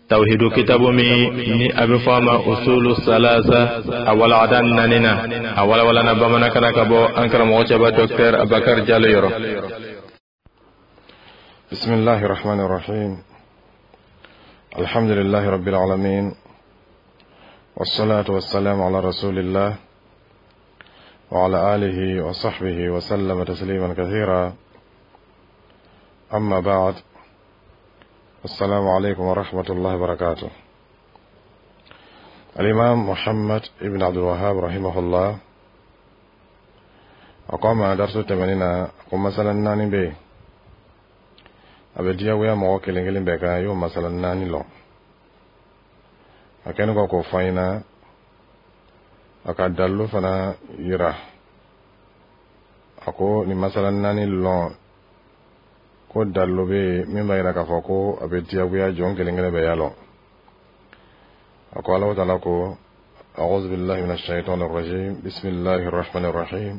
Tawhidu kitabu min ni a bɛ fɔ a ma Usulu Salasa, a walada naanina, a walawalana bamanankan na ka bɔ an karamɔgɔ cɛba Docteur Abakar Jalo yɔrɔ. بسم الله الرحمن الرحيم، الحمد لله رب العالمين، والصلاة والسلام على رسول الله وعلى آله وصحبه وسلم تسليما كثيرا، أما بعد، السلام عليكم ورحمة الله وبركاته. الإمام محمد ابن عبد الوهاب رحمه الله أقام درس الثمانين قم مثلا ناني بي a bɛ diyagoya mɔgɔ kelen kelen bɛɛ kan y'o masala naani lɔn. A kɛlen kɔ k'o fɔ an ɲɛna, a ka dalilu fana yira. A ko nin masala naani lɔn ko dalilu bɛ yen min b'a yira k'a fɔ ko a bɛ diyagoya jɔn kelen kelen bɛɛ y'a lɔn. A ko Alahu taala ko: أعوذ بالله من الشيطان الرجيم، بسم الله الرحمن الرحيم،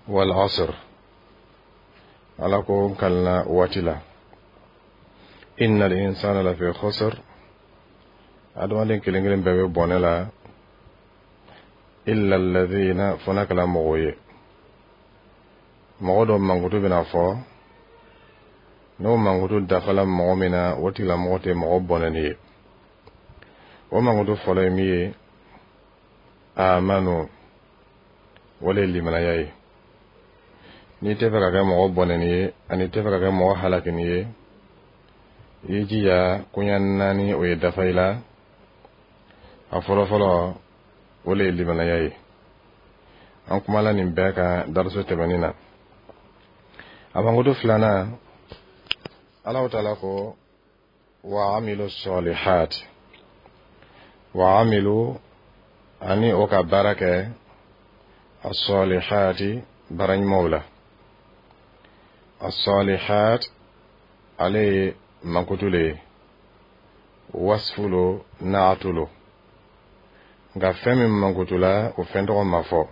والعصر. Ala ko n kalina waati la، إن الإنسان لفي خسر. Adamaden kelen kelen bɛɛ bɛ bɔnɛ la، إلا الذين, fo n'a kɛla mɔgɔw ye, mɔgɔ dɔ mankutu bɛna fɔ, n'o mankutu dafala mɔgɔ min na, o tigilamɔgɔ tɛ mɔgɔ bɔnɛni ye. O mankutu fɔlɔ ye min ye, آمنوا, o le ye limanaya ye. N'i tɛ fɛ ka kɛ mɔgɔ bɔnɛni ye ani tɛ fɛ ka kɛ mɔgɔ halakini ye, i y'i jija koɲa naani o ye dafa i la. A fɔlɔfɔlɔ, o le ye limanaya ye. An kumala nin bɛɛ kan dariso tɛmɛnin na. A mankutu filanan, Alahu taala ko: وعملوا الصالحات. وعملوا, ani o ka baara kɛ، الصالحات, baara ɲumanw la. الصالحات ale ye mankutu le ye, wasfu lo, naatu lo, nka fɛn min mankutu la, o fɛn tɔgɔ ma fɔ.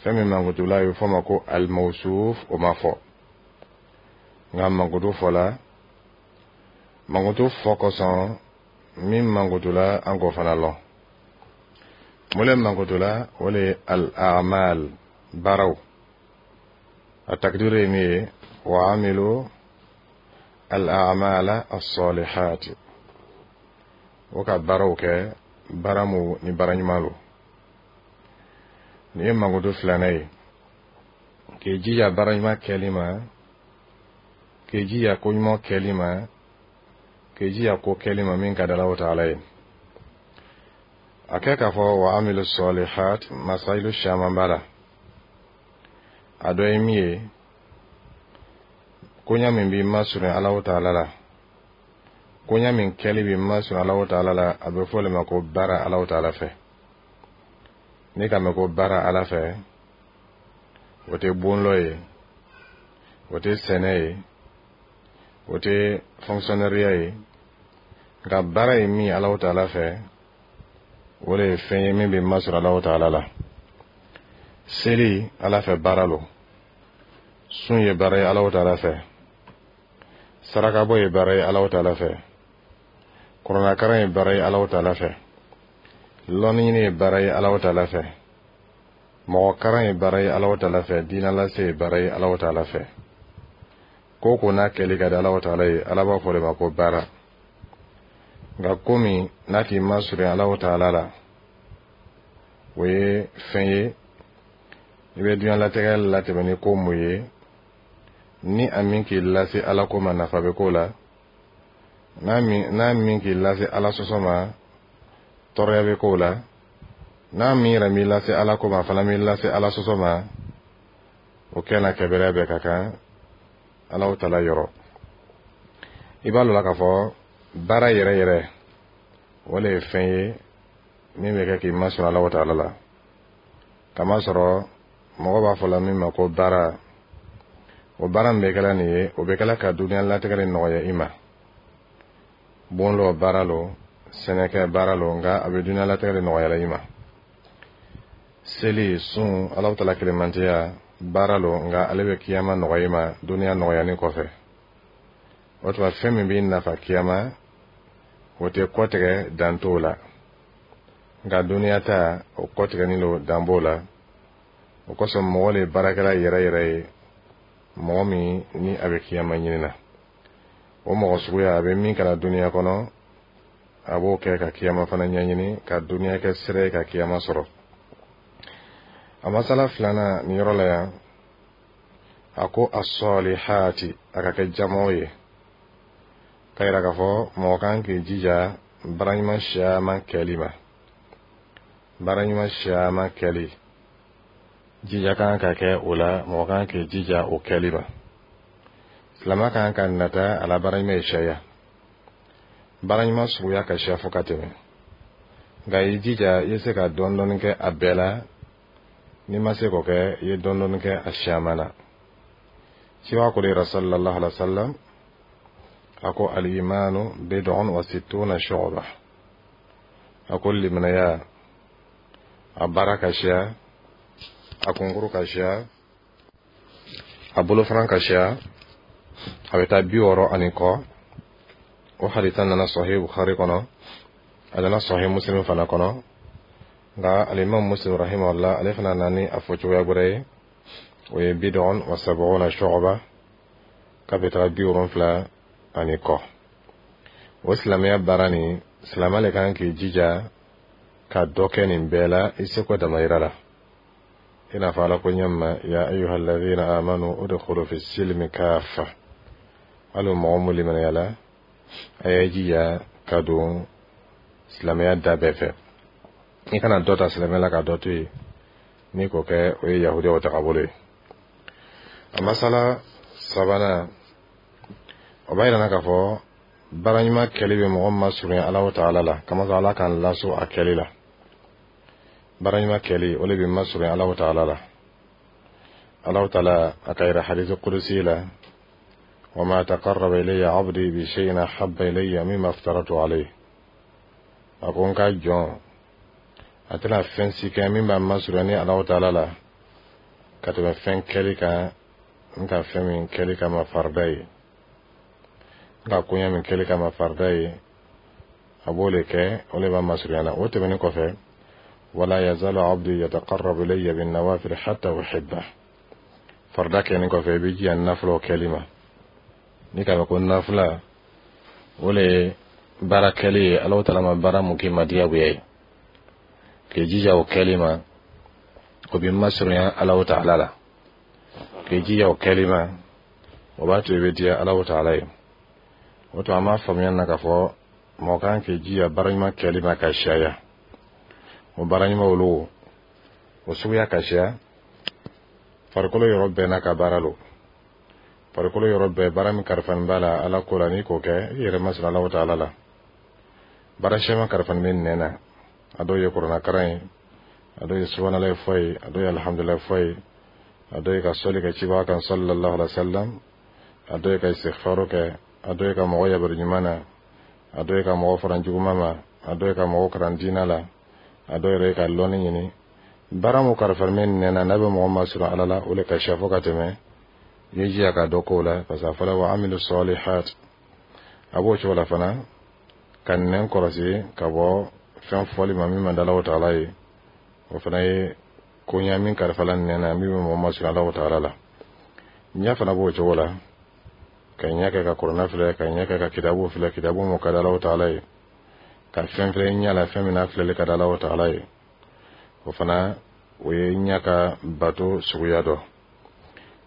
Fɛn min mankutu la, a bɛ fɔ o ma ko الموصوف, o ma fɔ, nka mankutu fɔla. Mankutu fɔ kosɔn, min mankutu la, an k'o fana lɔn. Mun le mankutu la? O le ye الأعمال, baaraw. A takdiru ye min ye: وعملوا الأعمال الصالحات, o ka baaraw kɛ, baara mu ni baara ɲuman lo. Nin ye mankutu filanan ye: k'i jija baara ɲuman kɛli ma, k'i jija ko ɲuman kɛli ma, k'i jija ko kɛli ma min ka di Alahu taala ye. A kɛ k'a fɔ وعملوا الصالحات, masayilu caman b'a la. A dɔ ye min ye, koɲa min b'i masurunya Alahu taala la, koɲa min kɛli b'i masurunya Alahu taala la, a bɛ fɔ o de ma ko baara Alahu taala fɛ. N'i ka mɛn ko baara Ala fɛ, o tɛ bonlɔ ye, o tɛ sɛnɛ ye, o tɛ fonctionnaire ye, nka baara ye min ye Alahu taala fɛ, o de ye fɛn ye min bɛ masɔrɔ Alahu taala la. Seli, Ala fɛ baara lo. Sun ye baara ye Alahu taala fɛ. Sarakabɔ ye baara ye Alahu taala fɛ. Kuranɛkaran ye baara ye Alahu taala fɛ. Lɔnni ɲini ye baara ye Alahu taala fɛ. Mɔgɔ karan ye baara ye Alahu taala fɛ. Diinɛ lase ye baara ye Alahu taala fɛ. Ko ko n'a kɛli ka di Alahu taala ye, Ala b'a fɔ o de ma ko baara. Nka ko min n'a t'i masurunya Alahu taala la, o ye fɛn ye i bɛ diɲɛlatigɛ latɛmɛ ni ko mun ye, ni a min k'i lase Ala ko ma, nafa bɛ k'o la, n'a min k'i lase Ala sɔsɔ ma, tɔɔrɔya bɛ k'o la, n'a min yɛrɛ m'i lase Ala ko ma, a fana m'i lase Ala sɔsɔ ma, o kɛ na kɛbɛrɛ bɛɛ ka kan Alahu taala yɔrɔ. I b'a lɔn k'a fɔ baara yɛrɛ yɛrɛ, o le ye fɛn ye min bɛ kɛ k'i masɔrɔ Alahu taala la, kamasɔrɔ mɔgɔ b'a fɔ la min ma ko baara, o baara min bɛ kɛla nin ye, o bɛ kɛla ka dunuya latigɛ de nɔgɔya i ma. Bon lɔ baara lo, sɛnɛkɛ baara lo, nka a bɛ dunuya latigɛ de nɔgɔya i ma. Seli, sun, Alahu taala kelenmantiya baara lo, nka ale bɛ kiyama nɔgɔya i ma duniya nɔgɔyani kɔfɛ. O tuma, fɛn min b'i nafa kiyama O tɛ kɔtigɛ, dan t'o la. Nka duniya ta, o kɔtigɛnin lo, dan b'o la. O kosɔn mɔgɔ le baarakɛla yɛrɛ yɛrɛ ye mɔgɔ min ni a bɛ kiyama ɲini na. O mɔgɔ suguya, a bɛ min kɛra duniya kɔnɔ, a b'o kɛ ka kiyama fana ɲɛɲini, ka duniya kɛ sira ye ka kiyama sɔrɔ. A masala filanan nin yɔrɔ la yan, a ko asɔlihati, a ka kɛ jamaw ye, ka yira k'a fɔ mɔgɔ kan k'i jija baara ɲuman siyaman kɛli ma. Baara ɲuman siyaman kɛli, jija kan ka kɛ o la. Mɔgɔ kan k'i jija o kɛli ma. Silama kan ka nata a la baara ɲuman ye sariya. Baara ɲuman suguya ka siya fo ka tɛmɛ, nka i jija i ye se ka dɔɔni dɔɔni kɛ a bɛɛ la. N'i ma se k'o kɛ, i ye dɔɔni dɔɔni kɛ a siyaman na. Ciba ko de yɛrɛ sallallahu alaihi wa sallam, a ko al-imanu bid'un wa sittuna shu'ba. A ko limanaya, a baara ka siya, a kunkuru ka siya, a bolofara ka siya, a bɛ taa 60 ani kɔ. O hadisa nana Sahih Bukhari kɔnɔ, a nana Sahih Muslim fana kɔnɔ. Nka alimam Muslim rahimahullah, ale fana nana ni a fɔ cogoya wɛrɛ ye, o ye bid'un wa sab'una shu'ba, k'a bɛ taga 70 ani kɔ. O silamɛya baara nin, silamɛ le kan k'i jija ka dɔ kɛ nin bɛɛ la i seko damayira la. I n'a fɔ Ala ko ɲɛ ma: ya ayuha alladhina amanu udkhulu fi silmi kafa. Hali mɔgɔ mun limaniya la, a y'a jija ka don silamɛya da bɛɛ fɛ. I kana dɔ ta silamɛya la ka dɔ to yen. N'i k'o kɛ, o ye yahudiyaw tagabolo ye. A masala sabanan, o b'a yira k'a fɔ baara ɲuman kɛli bɛ mɔgɔ masurunya Alahu taala la, kamasɔrɔ Ala k'an laso a kɛli la. Baara ɲuman kɛli, o de bɛ masurunya Alahu taala la. Alahu taala a ka yira hadisi kudusi la: wama taqarraba ilayya abdi bi shay'in ahabba ilayya mimma aftaratu alayhi. A ko n ka jɔn, a tɛna fɛn si kɛ min b'a masurunya ni Alahu taala la ka tɛmɛ fɛn kɛli kan n ka fɛn min kɛli kama farida ye, n ka koɲɛ min kɛli kama farida ye, a b'o le kɛ, o le b'a masurunya na. O tɛmɛnen kɔfɛ, wala yazalu abdi yataqarrabu ilayya bin nawafil hatta uhibba. Farida kɛlen kɔfɛ, i bɛ jija nafilaw kɛli ma. N'i k'a mɛn ko nafila, o le ye baara kɛli ye Alahu taala ma baara mun k'i ma diyagoya ye, k'i jija o kɛli ma, o b'i masurunya Alahu taala la. K'i jija o kɛli ma, o b'a to i bɛ diya Alahu taala ye. O to an b'a faamuya na k'a fɔ mɔgɔ kan k'i jija baara ɲuman kɛli ma ka siyaya. O baara ɲuman olu, o suguya ka siya. Farikolo yɔrɔ bɛɛ n'a ka baara lo. Farikolo yɔrɔ bɛɛ, baara min kalifani b'a la Ala ko la, n'i k'o kɛ, i yɛrɛ masɔrɔ Alahu taala la. Baara siyaman kalifani bɛ nɛn na. A dɔw ye kuranɛ karan ye, a dɔw ye subahanallahi fɔ ye, a dɔw ye alhamdulilayi fɔ ye, a dɔw ye ka sɔli kɛ cibaga kan sallallahu alaihi wa sallam, a dɔw ye ka istighfaru kɛ, a dɔw ye ka mɔgɔ yabaru ɲuman na, a dɔw ye ka mɔgɔ fara juguman ma, a dɔw ye ka mɔgɔ karan diinɛ la, a dɔw yɛrɛ ye ka lɔnni ɲini. Baara mun kalifani bɛ nɛn na, n'a bɛ mɔgɔ masɔrɔ Ala la, o le ka siya fo ka tɛmɛ. I ye jija ka dɔ k'o la, parce que a fɔra wa amilu salihat. A b'o cogo la fana ka nɛn kɔlɔsi ka bɔ fɛn fɔli ma min man di Alahu taala ye. O fana ye koɲa min kalifala nɛn na, min bɛ mɔgɔ masɔrɔ Alahu taala la. Ɲɛ fana b'o cogo la, ka ɲɛ kɛ ka kuranɛ filɛ, ka ɲɛ kɛ ka kitabu filɛ, kitabu mun ka di Alahu taala ye, ka fɛn filɛ ɲɛ la, fɛn min n'a filɛli ka di Alahu taala ye, o fana o ye ɲɛ ka bato suguya dɔ.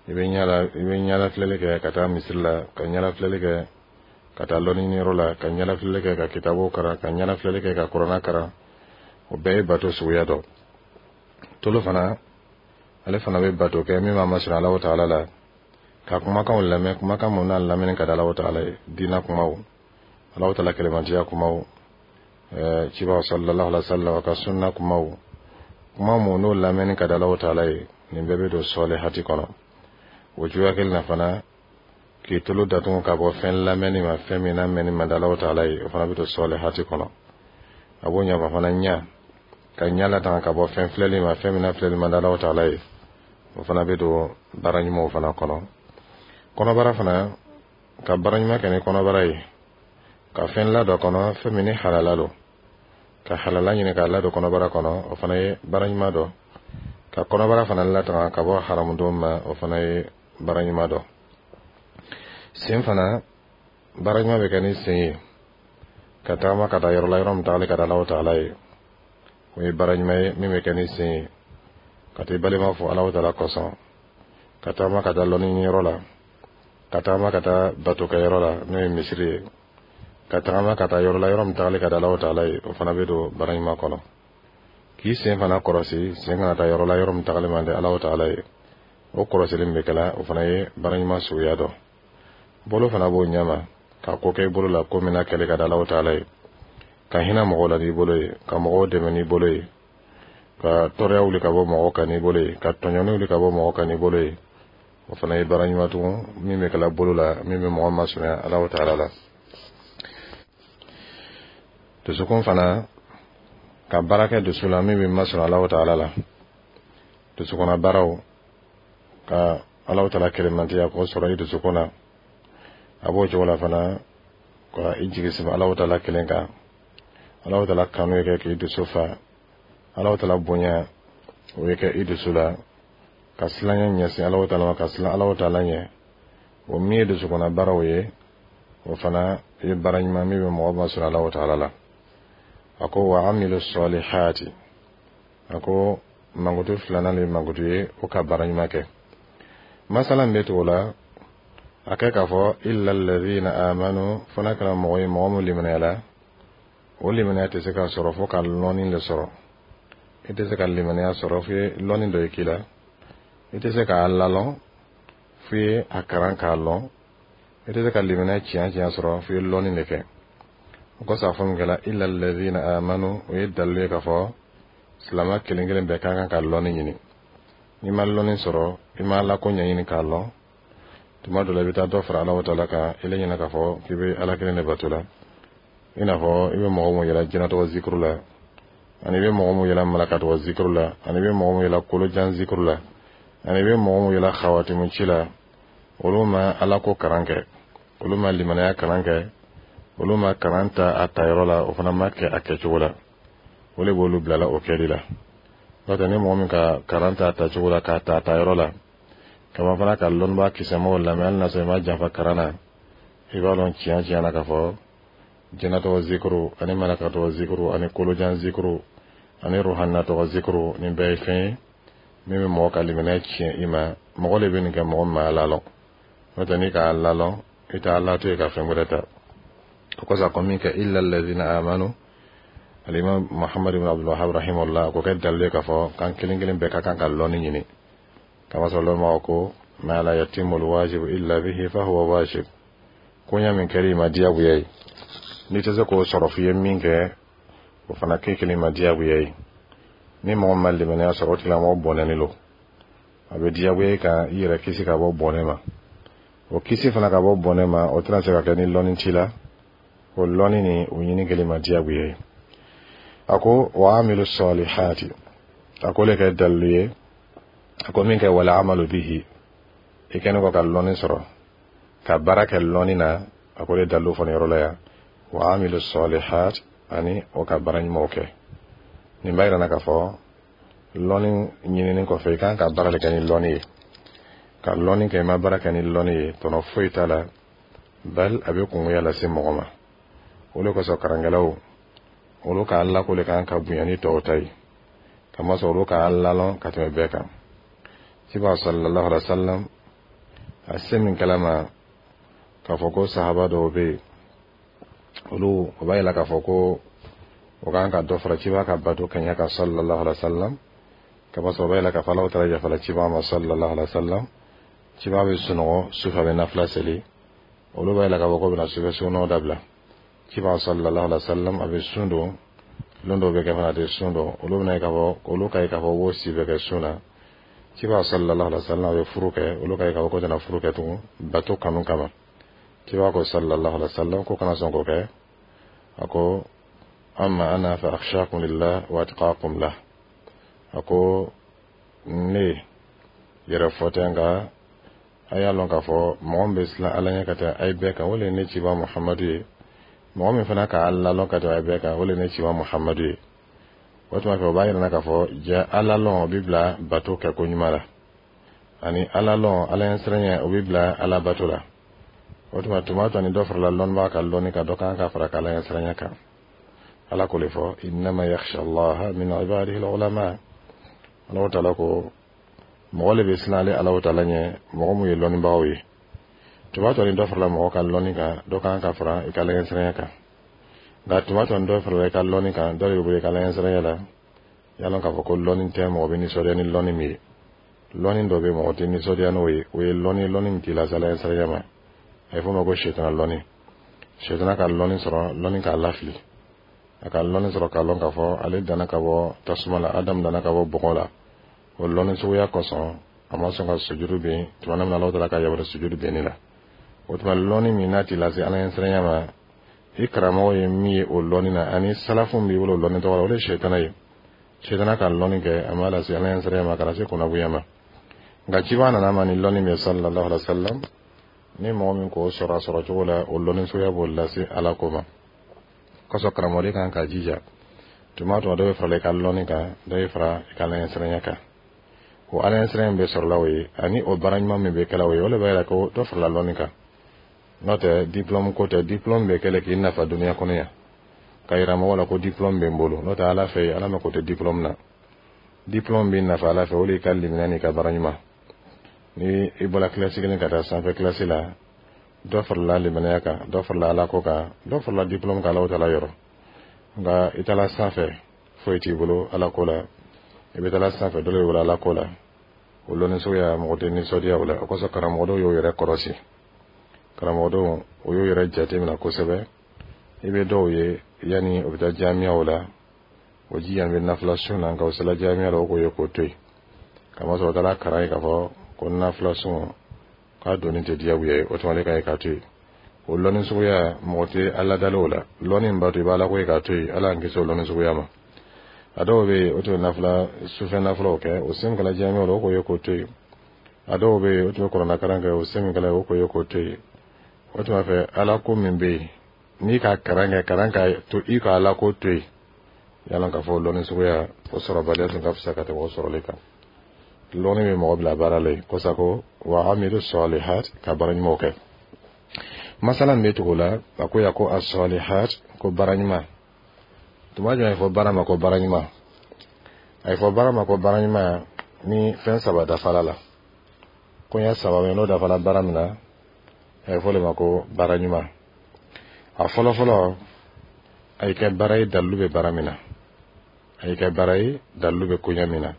I bɛ ɲɛ la, i bɛ ɲɛla filɛli kɛ ka taa misiri la, ka ɲɛla filɛli kɛ ka taa lɔnni ɲiniyɔrɔ la, ka ɲɛla filɛli kɛ ka kitabu karan, ka ɲɛla filɛli kɛ ka kuranɛ karan, o bɛɛ ye bato suguya dɔ. Tolo fana, ale fana bɛ bato kɛ min b'a masɔrɔ Alahu taala la, ka kumakanw lamɛn, kumakan mun n'a lamɛnni ka di Alahu taala ye, diinɛ kumaw, Alahu taala kɛlɛmantiya kumaw, cibaw sallallahu alaihi wa sallam ka sunna kumaw, kuma mun n'o lamɛnni ka di Alahu taala ye, nin bɛɛ bɛ don sɔlihati kɔnɔ. O cogoya kelen na fana, k'i tolo datugu ka bɔ fɛn lamɛnni ma, fɛn min n'a mɛnni man di Alahu taala ye, o fana bɛ don sɔlihati kɔnɔ. A b'o ɲɛfɔ fana, ɲa ka ɲa latanga ka bɔ fɛn filɛli ma, fɛn min n'a filɛli man di Alahu taala ye, o fana bɛ don baara ɲumanw fana kɔnɔ. Kɔnɔbara fana, ka baara ɲuman kɛ ni kɔnɔbara ye. Ka fɛn ladon a kɔnɔ, fɛn min ni halala don, ka halala ɲini k'a ladon kɔnɔbara kɔnɔ, o fana ye baara ɲuman dɔ. Ka kɔnɔbara fana latanga ka bɔ haramudon ma, o fana ye baara ɲuman dɔ. Sen fana, baara ɲuman bɛ kɛ ni sen ye, ka tagama ka taa yɔrɔ la, yɔrɔ min tagali ka di Alahu taala ye, o ye baara ɲuman ye min bɛ kɛ ni sen ye. Ka taa i balima fo Alahu taala kosɔn, ka tagama ka taa lɔnni ɲiniyɔrɔ la, ka tagama ka taa batokɛyɔrɔ la, n'o ye misiri ye, ka tagama ka taa yɔrɔ la, yɔrɔ min tagali ka di Alahu taala ye, o fana bɛ don baara ɲuman kɔnɔ. K'i sen fana kɔlɔsi, sen kana taa yɔrɔ la, yɔrɔ min tagali man di Alahu taala ye, o kɔlɔsili min bɛ kɛla, o fana ye baara ɲuman suguya dɔ. Bolo fana b'o ɲɛma, ka ko kɛ i bolo la, ko min na kɛlɛ ka di Alahu taala ye, ka hinɛ mɔgɔw la n'i bolo ye, ka mɔgɔw dɛmɛ n'i bolo ye, ka tɔɔrɔya wuli ka bɔ mɔgɔw kan n'i bolo ye, ka tɔɲɔni wuli ka bɔ mɔgɔw kan n'i bolo ye, o fana ye baara ɲuman tugun min bɛ kɛla bolo la, min bɛ mɔgɔ masurunya Alahu taala la. Dusukun fana, ka baara kɛ dusu la min bɛ masurunya Alahu taala la, dusukunna baaraw, ka Alahu taala kelemantiya k'o sɔrɔ i dusukun na, a b'o cogo la fana ka i jigi sɛmɛ Alahu taala kelen kan, Alahu taala kanu ye kɛ k'i dusu fa, Alahu taala bonya o ye kɛ i dusu la, ka silanya ɲɛsin Alahu taala ma, ka silan Alahu taala ɲɛ, o min ye dusukunna baaraw ye, o fana ye baara ɲuman min bɛ mɔgɔ masurunya Alahu taala la. A ko wa amilu sɔlihati, a ko mankutu filanan de ye mankutu ye o ka baara ɲuman kɛ. Masala min bɛ tugu o la, a kɛ k'a fɔ illa alladhina amanu, fo n'a kɛra mɔgɔ ye, mɔgɔ min limaniyala. O limaniya tɛ se ka sɔrɔ fo ka lɔnni de sɔrɔ. I tɛ se ka limaniya sɔrɔ fo lɔnni dɔ ye k'i la. I tɛ se k'a lalɔn fo ye a kalan k'a lɔn. I tɛ se ka limaniya tiɲɛ tiɲɛ sɔrɔ fo ye lɔnni de kɛ. O kosɔn a fɔ min kɛla illa alladhina amanu, o ye dalilu ye k'a fɔ silamɛ kelen kelen bɛɛ ka kan ka lɔnni ɲini. N'i ma lɔnni sɔrɔ, i ma Ala ko ɲɛɲini k'a lɔn, tuma dɔ la i bɛ taa dɔ fara Alahu taala kan, i la ɲinɛ k'a fɔ k'i bɛ Ala kelen de bato la. I n'a fɔ i bɛ mɔgɔ mun yɛlɛ jinɛtɔgɔ zikiru la, ani i bɛ mɔgɔ mun yɛlɛ malakatɔgɔ zikiru la, ani i bɛ mɔgɔ mun yɛlɛ kolojan zikiru la, ani i bɛ mɔgɔ mun yɛlɛ xawatimu ci la, olu ma Ala ko kalan kɛ, olu ma limanaya kalan kɛ, olu ma kalan ta a tayɔrɔ la, o fana ma kɛ a kɛcogo la. O de b'olu bilala o kɛli la. N'o tɛ, ni mɔgɔ min ka kalan ta a tacogo la, k'a ta a tayɔrɔ la, kama fana ka lɔnnibaa kisɛmaw lamɛn, hali n'a sɔrɔ i ma janfa kalan na, i b'a dɔn tiɲɛ tiɲɛ na k'a fɔ jinɛtɔgɔ zikiru ani malakatɔgɔ zikiru ani kolojan zikiru ani ruhanatɔgɔ zikiru, nin bɛɛ ye fɛn ye min bɛ mɔgɔ ka limaniya tiɲɛ i ma. Mɔgɔ de bɛ nin kɛ, mɔgɔ min ma Ala lɔn. N'o tɛ, n'i k'a lalɔn, i t'a la to yen ka fɛn wɛrɛ ta. O kosɔn a ko min kɛ illa alladhina amanu, alimam Muhammad ibn Abdul Wahhab rahimahullah ko kɛ dalilu ye k'a fɔ k'an kelen kelen bɛɛ ka kan ka lɔnni ɲini. Kamasɔrɔ lɔnbagaw ko ma la yatimu alwajibu illa bihi fa huwa wajib, koɲa min kɛra i ma diyagoya ye, n'i tɛ se k'o sɔrɔ f'i ye min kɛ, o fana kɛ kelen ma diyagoya ye. Ni mɔgɔ ma limaniya sɔrɔ, o tigilamɔgɔ bɔnɛnen don. A bɛ diyagoya kan i yɛrɛ kisi ka bɔ bɔnɛ ma. O kisi fana ka bɔ bɔnɛ ma, o tɛna se ka kɛ ni lɔnni t'i la. O lɔnni ni o ɲini kelen ma diyagoya ye. A ko wa amilu sɔlihati, a ko le kɛ dalilu ye. A ko min kɛ wala amalu bihi, i kɛlen kɔ ka lɔnni sɔrɔ, ka baara kɛ lɔnni na, a ko le dalilu fɔ nin yɔrɔ la yan, wa amilu sɔlihat, ani o ka baara ɲumanw kɛ. Nin b'a yira na k'a fɔ lɔnni ɲinini kɔfɛ, i kan ka baara de kɛ ni lɔnni ye. Ka lɔnni kɛ, i ma baara kɛ ni lɔnni ye, tɔnɔ foyi t'a la, bali a bɛ kungoya lase mɔgɔ ma. O de kosɔn karankɛlaw, olu ka Ala ko de kan ka bonya ni tɔw ta ye, kamasɔrɔ olu ka Ala lɔn ka tɛmɛ bɛɛ kan. Ciba sallallahu alaihi wa sallam, a se min kɛla ma k'a fɔ ko sahaba dɔw bɛ yen, olu o b'a yira k'a fɔ ko o kan ka dɔ fara ciba ka bato kɛɲɛ kan sallallahu alaihi wa sallam, kamasɔrɔ o b'a yira k'a fɔ Alahu taala yafala ciba ma sallallahu alaihi wa sallam. Ciba bɛ sunɔgɔ sufɛ, a bɛ nafila seli, olu b'a yira k'a fɔ ko bɛna sufɛ sunɔgɔ dabila. Ciba sallallahu alaihi wa sallam, a bɛ sun don, lon dɔw bɛ kɛ fana a tɛ sun don, olu bɛna ye k'a fɔ olu ka ye k'a fɔ k'o si bɛ kɛ sun na. Ciba sallallahu alaihi wa sallam, a bɛ furu kɛ, olu ka ye k'a fɔ ko tɛna furu kɛ tugun bato kanu kama. Ciba ko sallallahu alaihi wa sallam ko kana sɔn k'o kɛ. A ko amma ana fa akhshakum lillah wa atqakum lah, a ko ne yɛrɛ fɔ tɛ, nka a y'a lɔn k'a fɔ mɔgɔ min bɛ siran Ala ɲɛ ka tɛmɛ a ye bɛɛ kan, o de ye ne ciba Muhamadu ye. Mɔgɔ min fana ka Ala lɔn ka tɛmɛ bɛɛ kan, o le ne cima Muhamadu ye. O tuma fɛ, o b'a yira k'a fɔ ja Ala lɔn, o bɛ bila bato kɛ ko ɲuman la, ani Ala lɔn, Ala ɲɛsiranya, o bɛ bila Ala bato la. O tuma, tuma tɔ ni dɔ farala lɔnnibaga ka lɔnni kan, dɔ kan ka fara ka Ala ɲɛsiranya kan. Ala k'o le fɔ: innama yakhsha Allaha min ibadihi al-ulama. Ala taala ko mɔgɔ le bɛ siran ale Ala taala ɲɛ, mɔgɔ mun ye lɔnnibagaw ye. Tuma tɔ ni dɔ farala mɔgɔ ka lɔnni kan, dɔ kan ka fara i ka Ala ɲɛsiranya kan. Nka tuma tɔ ni dɔ farala i ka lɔnni kan, dɔ de bɛ bɔ i ka Ala ɲɛsiranya la. Y'a lɔn k'a fɔ ko lɔnni tɛ mɔgɔ bɛ nisɔndiya ni lɔnni min ye. Lɔnni dɔ bɛ, mɔgɔ tɛ nisɔndiya n'o ye. O ye lɔnni, lɔnni min t'i lase Ala ɲɛsiranya ma. A ye fɔ o ma ko sɛtana lɔnni. Sɛtana ka lɔnni sɔrɔ, lɔnni k'a lafili. A ka lɔnni sɔrɔ k'a lɔn k'a fɔ ale danna ka bɔ tasuma la, Adamu danna ka bɔ bɔgɔ la. O lɔnni suguya kosɔn, a ma sɔn ka sujuru bin tuma min na Ala taala ka yamaruya sujuru binni la. O tuma, lɔnni min n'a t'i lase Ala ɲɛsiranya ma, i karamɔgɔ ye min ye o lɔnni na, ani salafu b'i bolo o lɔnni tɔgɔ la, o de ye sɛtana ye. Sɛtana ka lɔnni kɛ, a ma lase Ala ɲɛsiranya ma, ka na se kunnagoya ma. Nka ciba nana ma ni lɔnni min ye, sallallahu alaihi wa sallam, ni mɔgɔ min k'o sɔrɔ a sɔrɔ cogo la, o lɔnni suguya b'o lase Ala ko ma. Kosɔn, karamɔgɔden kan ka jija, tuma tuma dɔ bɛ farala i ka lɔnni kan, dɔ bɛ fara i ka Ala ɲɛsiranya kan. O Ala ɲɛsiranya min bɛ sɔrɔla o ye, ani o baara ɲuman min bɛ kɛla o ye, o de b'a yira ko dɔ farala lɔnni kan. N'o tɛ, diplôme ko tɛ. Diplôme bɛ kɛlɛ k'i nafa duniya kɔnɔ yan, ka yira mɔgɔw la ko diplôme bɛ n bolo. N'o tɛ, Ala fɛ, Ala mako tɛ diplôme na. Diplôme b'i nafa Ala fɛ, o de y'i ka limaniya n'i ka baara ɲuman. Ni i bɔra kilasi kelen ka taa sanfɛ kilasi la, dɔ farala limaniya kan, dɔ farala Ala ko kan, dɔ farala diplôme kan Ala taala yɔrɔ. Nka i taara sanfɛ, foyi t'i bolo Ala ko la. I bɛ taara sanfɛ, dɔ de bolo Ala ko la. O lɔnni suguya, mɔgɔ tɛ nisɔndiya o la. O kosɔn, karamɔgɔ dɔw y'o yɛrɛ kɔlɔsi. Karamɔgɔ dɔw, o y'o yɛrɛ jateminɛ kosɛbɛ. I bɛ dɔw ye, yanni o bɛ taa jamiyaw la, o jija bɛ nafila sun na. Nka o sela jamiya la, o k'o ye k'o to yen, kamasɔrɔ o taara kalan ye k'a fɔ ko nafila sun k'a donni tɛ diyagoya ye. O tuma, ale ka ye k'a to yen. O lɔnni suguya, mɔgɔ tɛ Ala dalen o la. Lɔnni in b'a to i b'a Ala ko ye k'a to yen. Ala y'an kisi o lɔnni suguya ma. A dɔw bɛ yen, o tun bɛ nafila sufɛ nafilaw kɛ, o sen kɛla jamiya la, o k'o ye k'o to yen. A dɔw bɛ yen, o tun bɛ kuranɛ kalan kɛ, o sen min kɛla, o k'o ye k'o to yen. O tuma fɛ, Ala ko min bɛ yen, n'i ka kalan kɛ, kalan ka to i ka Ala ko to yen, yala k'a fɔ lɔnni suguya, o sɔrɔbaliya tun ka fisa ka tɛmɛ o sɔrɔli kan. Lɔnni bɛ mɔgɔ bila baara la yen kosa ko wa amilu salihat, ka baara ɲumanw kɛ. Masala min bɛ tugu o la, a ko ya ko asalihat, ko baara ɲuman. Tuma jumɛn a ye fɔ baara ma ko baara ɲuman? A ye fɔ baara ma ko baara ɲuman ni fɛn saba dafala la. Koɲɛ saba bɛ, n'o dafala baara min na, a ye fɔ o de ma ko baara ɲuman. A fɔlɔ fɔlɔ, a ye kɛ baara ye dalilu bɛ baara min na. A ye kɛ baara ye dalilu bɛ koɲɛ min na.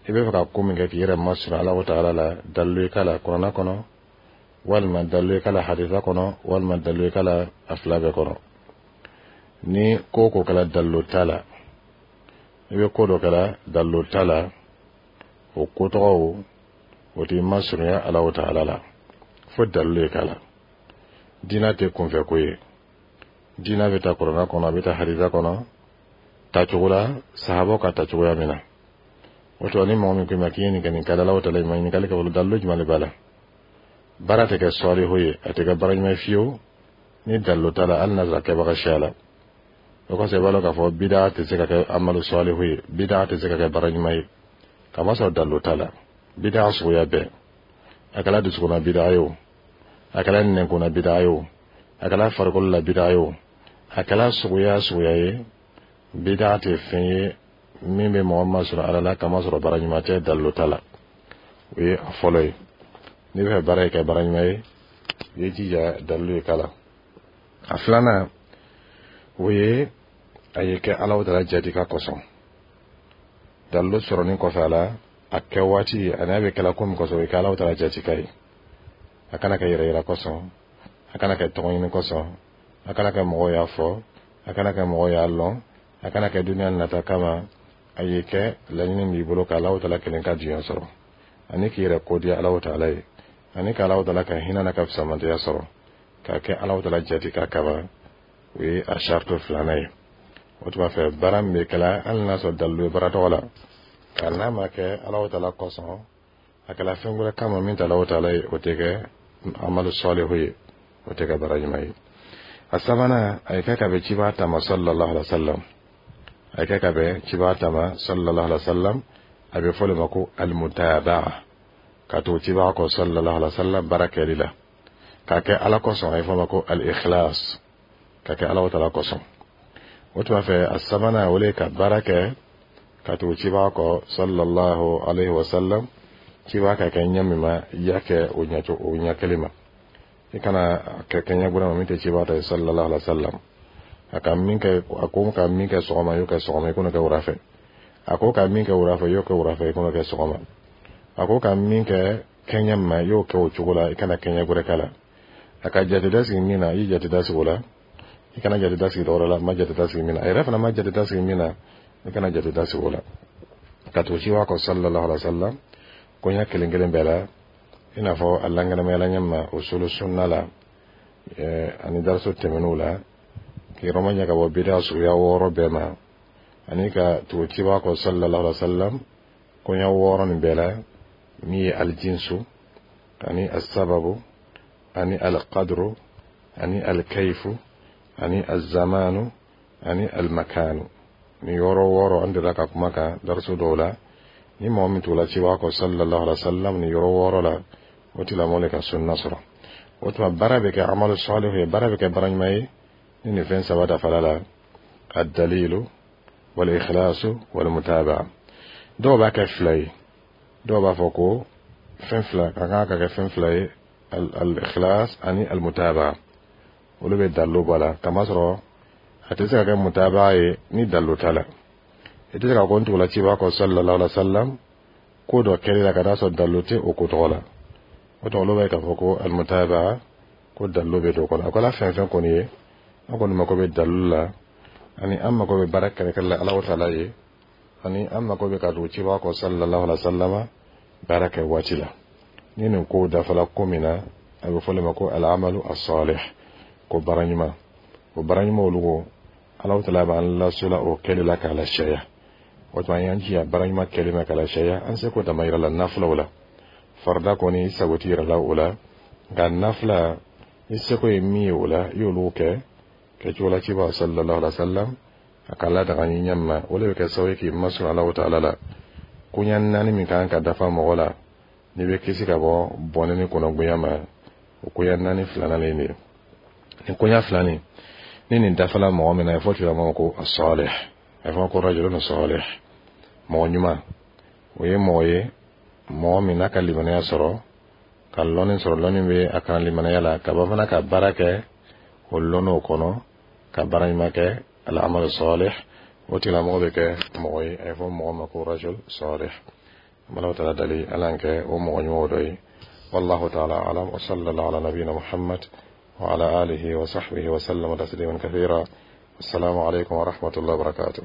I bɛ fɛ ka ko min kɛ k'i yɛrɛ masɔrɔ Ala taala la, dalilu ye k'a la kuranɛ kɔnɔ, walima dalilu ye k'a la hadisa kɔnɔ, walima dalilu ye k'a la a fila bɛɛ kɔnɔ. Ni ko o ko kɛla dalilu t'a la, i bɛ ko dɔ kɛla dalilu t'a la, o ko tɔgɔ o t'i masurunya Ala taala la, fo dalilu ye k'a la. Diinɛ tɛ kunfɛ ko ye. Diinɛ bɛ taa kuranɛ kɔnɔ, a bɛ taa hadisa kɔnɔ, tacogo la sahabaw ka tacogoya min na. O tuma, ni mɔgɔ min ko i ma k'i ye nin kɛ, nin ka di Ala taala, i ma ɲininkali kɛ fɔlɔ dalilu jumɛn de b'a la. Baara tɛ kɛ sɔlihu ye, a tɛ kɛ baara ɲuman ye fiyewu ni dalilu t'a la, hali n'a sɔrɔ kɛbaga siya la. O kosɔn, i b'a dɔn k'a fɔ bidaa tɛ se ka kɛ amalu sɔlihu ye, bidaa tɛ se ka kɛ baara ɲuman ye, kamasɔrɔ dalilu t'a la. Bidaa suguya bɛɛ, a kɛra dusukunna bidaa ye o, a kɛra nɛnkunna bidaa ye o, a kɛra farikolo la bidaa ye o, a kɛra suguya suguya ye, bidaa tɛ fɛn ye min bɛ mɔgɔ masɔrɔ Ala la, kamasɔrɔ baara ɲuman tɛ, dalilu t'a la. O ye a fɔlɔ ye. N'i bɛ fɛ baara ye kɛ baara ɲuman ye, i ye jija dalilu ye k'a la. A filanan, o ye a ye kɛ Ala taala jati ka kosɔn. Dalilu sɔrɔnin kɔfɛ a la, a kɛ waati ani a bɛ kɛla ko min kosɔn, o ye kɛ Ala taala jati ka ye. A kana kɛ yɛrɛ yira kosɔn, a kana kɛ tɔgɔ ɲini kosɔn, a kana kɛ mɔgɔw y'a fɔ, a kana kɛ mɔgɔw y'a lɔn, a kana kɛ duniya nata kama. A ye kɛ laɲini b'i bolo ka Ala taala kelen ka diɲɛ sɔrɔ, ani k'i yɛrɛ kodiya Ala taala ye, ani ka Ala taala ka hinɛ n'a ka fisamantiya sɔrɔ, k'a kɛ Ala taala jati ka kama. O ye a sarito filanan ye. O tuma fɛ, baara min bɛ kɛla, hali n'a sɔrɔ dalilu ye baara tɔgɔ la, nka n'a ma kɛ Ala taala kosɔn, a kɛla fɛn wɛrɛ kama min tɛ Ala taala ye, o tɛ kɛ amalu sɔlihu ye, o tɛ kɛ baara ɲuman ye. A sabanan, a ye kɛ ka bɛn ciba ta ma sallallahu alaihi wa sallam, a ye kɛ ka bɛn ciba ta ma sallallahu alaihi wa sallam. A bɛ fɔ o de ma ko almutabaa, ka to ciba kɔ sallallahu alaihi wa sallam baara kɛli la, k'a kɛ Ala kosɔn. A ye fɔ ma ko al-ikhlas, ka kɛ Ala taala kosɔn. O tuma fɛ, a sabanan, o le ye ka baara kɛ ka tugu ciba kɔ sallallahu alaihi wa sallam. Ciba ka kɛ ɲɛ min ma, i y'a kɛ o ɲɛ o ɲɛ kelen ma. I kana kɛ kɛɲɛ gbɛrɛ ma min tɛ ciba ta ye sallallahu alaihi wa sallam. A ka min kɛ, a ko ka min kɛ sɔgɔma, i y'o kɛ sɔgɔma, i kana kɛ wura fɛ. A ko ka min kɛ wura fɛ, i y'o kɛ wura fɛ, i kana kɛ sɔgɔma. A ko ka min kɛ kɛɲɛ ma, i y'o kɛ o cogo la, i kana kɛɲɛ gbɛrɛ k'a la. A ka jate da sigi min na, i ye jate da sigi o la, i kana jate da sigi dɔwɛrɛ la. Ma jate da sigi min na, a yɛrɛ fana ma jate da sigi min na, i kana jate da sigi o la. Ka tugu ciba kɔ sallallahu alaihi wa sallam koɲɛ kelen kelen bɛɛ la, i n'a fɔ a lankɛnɛmayala ɲɛ ma usulu sunna la ani dariso tɛmɛnenw la, k'i yɔrɔ maɲɛ ka bɔ bida suguya wɔɔrɔ bɛɛ ma, ani ka tugu ciba kɔ sallallahu alaihi wa sallam koɲɛ wɔɔrɔ nin bɛɛ la, min ye aljinsu ani asababu ani alqadru ani alkaifu ani azamanu ani almakanu. Ni yɔrɔ wɔɔrɔ, an delila ka kuma kan dariso dɔw la. Ni mɔgɔ min tugula ciba kɔ sallallahu alaihi wa sallam ni yɔrɔ wɔɔrɔ la, o tigilamɔgɔ le ka sunna sɔrɔ. O tuma, baara bɛ kɛ amalu salihu ye, baara bɛ kɛ baara ɲuman ye ni nin fɛn saba dafara la: addalilu wal ikhlasu wal mutabaa. Dɔw b'a kɛ fila ye, dɔw b'a fɔ ko fɛn fila ka kan ka kɛ fɛn fila ye, al ikhlas ani al mutabaa. Olu bɛ dalilu bɔ a la, kamasɔrɔ a tɛ se ka kɛ mutabaa ye ni dalilu t'a la. I tɛ se ka ko n tugula ciba kɔ sallallahu alaihi wa sallam ko dɔ kɛli la ka taa sɔrɔ dalilu tɛ o ko tɔgɔ la. O tuma, olu b'a ye k'a fɔ ko almutabaa, ko dalilu bɛ don o kɔnɔ. A kɛra fɛn fɛn kɔni ye, an kɔni mako bɛ dalilu la, ani an mako bɛ baara kɛlɛkɛlɛ la Ala taala ye, ani an mako bɛ ka tugu ciba kɔ sallallahu alaihi wa sallam baara kɛ waati la. Ni nin kow dafala ko min na, a bɛ fɔ o ma ko al-amalu as-salih, ko baara ɲuman. O baara ɲuman olu ko Ala taala b'an lasola o kɛli la k'a lasariya. O tuma, an y'an jija baara ɲuman kɛli ma k'a lasariya. An seko dama yira la nafilaw la. Farida kɔni, i sago t'i yɛrɛ la o la, nka nafila, i seko ye min ye o la, i y'olu kɛ kɛcogo la ciba sallallahu alaihi wa sallam a ka ladaga ɲi ɲɛ ma. O de bɛ kɛ sababu ye k'i masɔrɔ Ala taala la. Koɲɛ naani min kan ka dafa mɔgɔ la n'i bɛ kisi ka bɔ bɔnɛ ni kɔnɔgoya ma, o koɲɛ naani filanan de ye nin koɲɛ fila nin. Ni nin dafala mɔgɔ min na, a fɔ tigilamɔgɔ ko as-salih, a fɔ ko rajulun salih, mɔgɔ ɲuman. O ye mɔgɔ ye, mɔgɔ min n'a ka limaniya sɔrɔ, ka lɔnni sɔrɔ, lɔnni bɛ a kan limaniya la, ka ban fana ka baara kɛ o lɔnniw kɔnɔ, ka baara ɲuman kɛ, al-amal salih. O tigilamɔgɔ bɛ kɛ mɔgɔ ye, a ye fɔ mɔgɔ ma ko rajul salih. Ala taala dali, Ala y'an kɛ o mɔgɔ ɲumanw dɔ ye. Wallahu ta'ala alam wa sallallahu ala nabiyina Muhammad wa ala alihi wa sahbihi wa sallama taslima kathira. Assalamu alaikum wa rahmatullahi wa barakatuh.